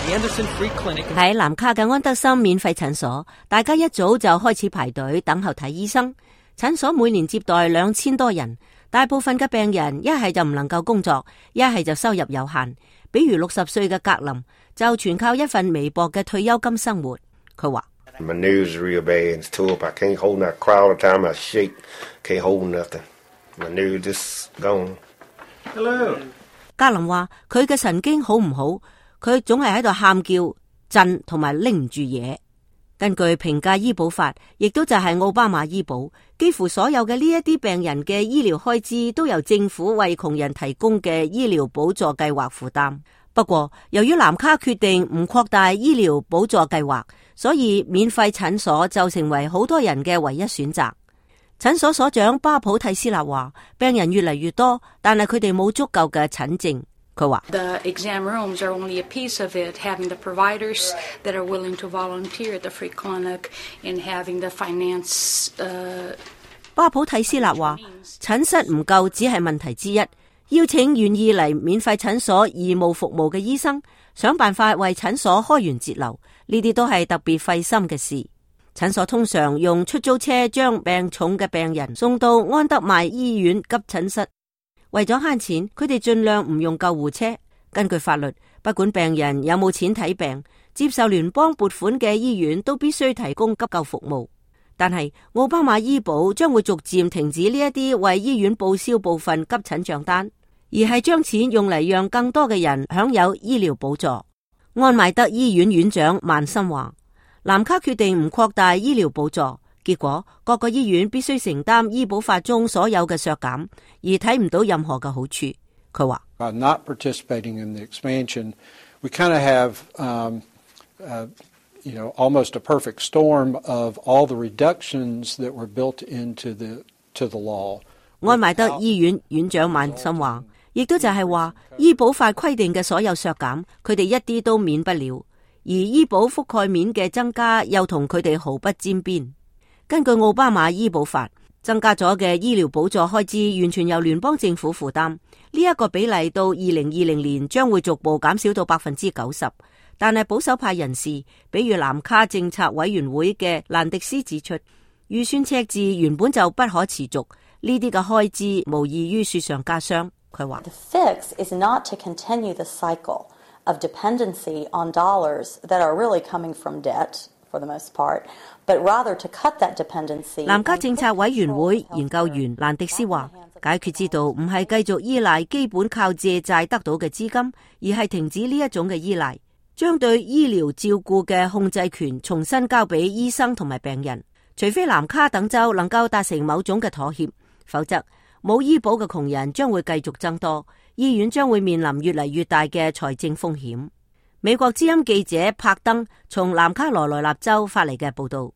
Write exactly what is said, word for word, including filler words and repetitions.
喺南卡嘅安德森免費診所，大家一早就開始排隊等候睇醫生。診所每年接待兩千多人，大部分嘅病人一係就唔能夠工作，一係就收入有限。比如六十歲嘅格林就全靠一份微薄嘅退休金生活。佢話：My knees are real bad. It's tore up. I can't hold that crowd of time. I shake. Can't hold nothing. My knees just gone. Hello. 格林話：佢嘅神經好唔好？佢總係喺度喊叫、震同埋拎唔住嘢。根據評價醫保法，亦都就係奧巴馬醫保，幾乎所有嘅呢一啲病人嘅醫療開支都由政府為窮人提供嘅醫療補助計劃負擔。不過，由於南卡決定唔擴大醫療補助計劃，所以免費診所就成為好多人嘅唯一選擇。診所所長巴普蒂斯納話：病人越嚟越多，但係佢哋冇足夠嘅診症。佢話：The exam rooms are only a piece of it. Having the providers that are willing to volunteer at the free clinic and having the finance. 呃、巴普蒂斯納話：診室唔夠只係問題之一，邀請願意嚟免費診所義務服務嘅醫生，想辦法為診所開源節流，呢啲都係特別費心嘅事。診所通常用出租車將病重嘅病人送到安德邁醫院急診室。為咗慳錢，佢哋盡量唔用救護車。根據法律，不管病人有冇錢睇病，接受聯邦撥款嘅醫院都必須提供急救服務。但係奧巴馬醫保將會逐漸停止呢一啲為醫院報銷部分急診賬單，而係將錢用嚟讓更多嘅人享有醫療補助。安邁德醫院院長曼森話：南卡決定唔擴大醫療補助，結果各個醫院必須承擔醫保法中所有嘅削減，而睇唔到任何嘅好處。佢話：By not participating in the expansion, we kind of have, um, uh, you know, almost a perfect storm of all the reductions that were built into the to the law. 安邁德醫院院長曼森話，亦都就係話，醫保法規定嘅所有削減，佢哋一啲都免不了，而醫保覆蓋面嘅增加又同佢哋毫不沾邊。根據奧巴馬醫保法，增加咗嘅醫療補助開支完全由聯邦政府負擔，呢、這、一個比例到二零二零年將會逐步減少到百分之九十。但係保守派人士，比如南卡政策委員會嘅蘭迪斯指出，預算赤字原本就不可持續，呢啲嘅開支無異於雪上加霜。佢話：The fix is not to continue the cycle of dependency on dollars that are really coming from debt for the most part, but rather to cut that dependency. 南加政策委員會研究員蘭迪斯話：解決之道唔係繼續依賴基本靠借債得到嘅資金，而係停止呢一種嘅依賴，將對醫療照顧嘅控制權重新交俾醫生同埋病人。除非南卡等州能夠達成某種嘅妥協，否則冇醫保嘅窮人將會繼續增多，醫院將會面臨越嚟越大嘅財政風險。美國之音記者柏登從南卡羅來納州發嚟嘅報道。